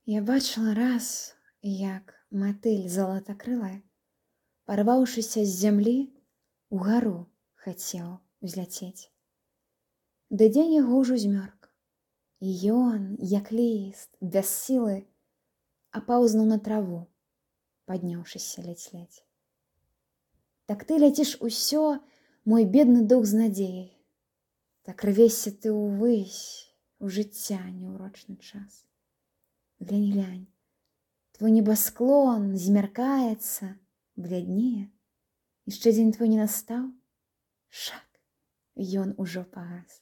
Я бачыла раз, як матыль залатакрылая, парваўшыся з зямлі, угару хацеў узляцець. Ды дзень яго ўжо змёрк, і ён, як ліст, без сілы, апаўзнуў на траву, падняўшыся ледзь-ледзь. Так ты ляціш усё, мой бедны дух з надзеяй, так рвешся ты ўвысь, у жыцця няўрочны час. Глянь, глянь, твой небасклон змяркаецца, бляднее, яшчэ дзень твой не настаў, шак, ён ужо пагас.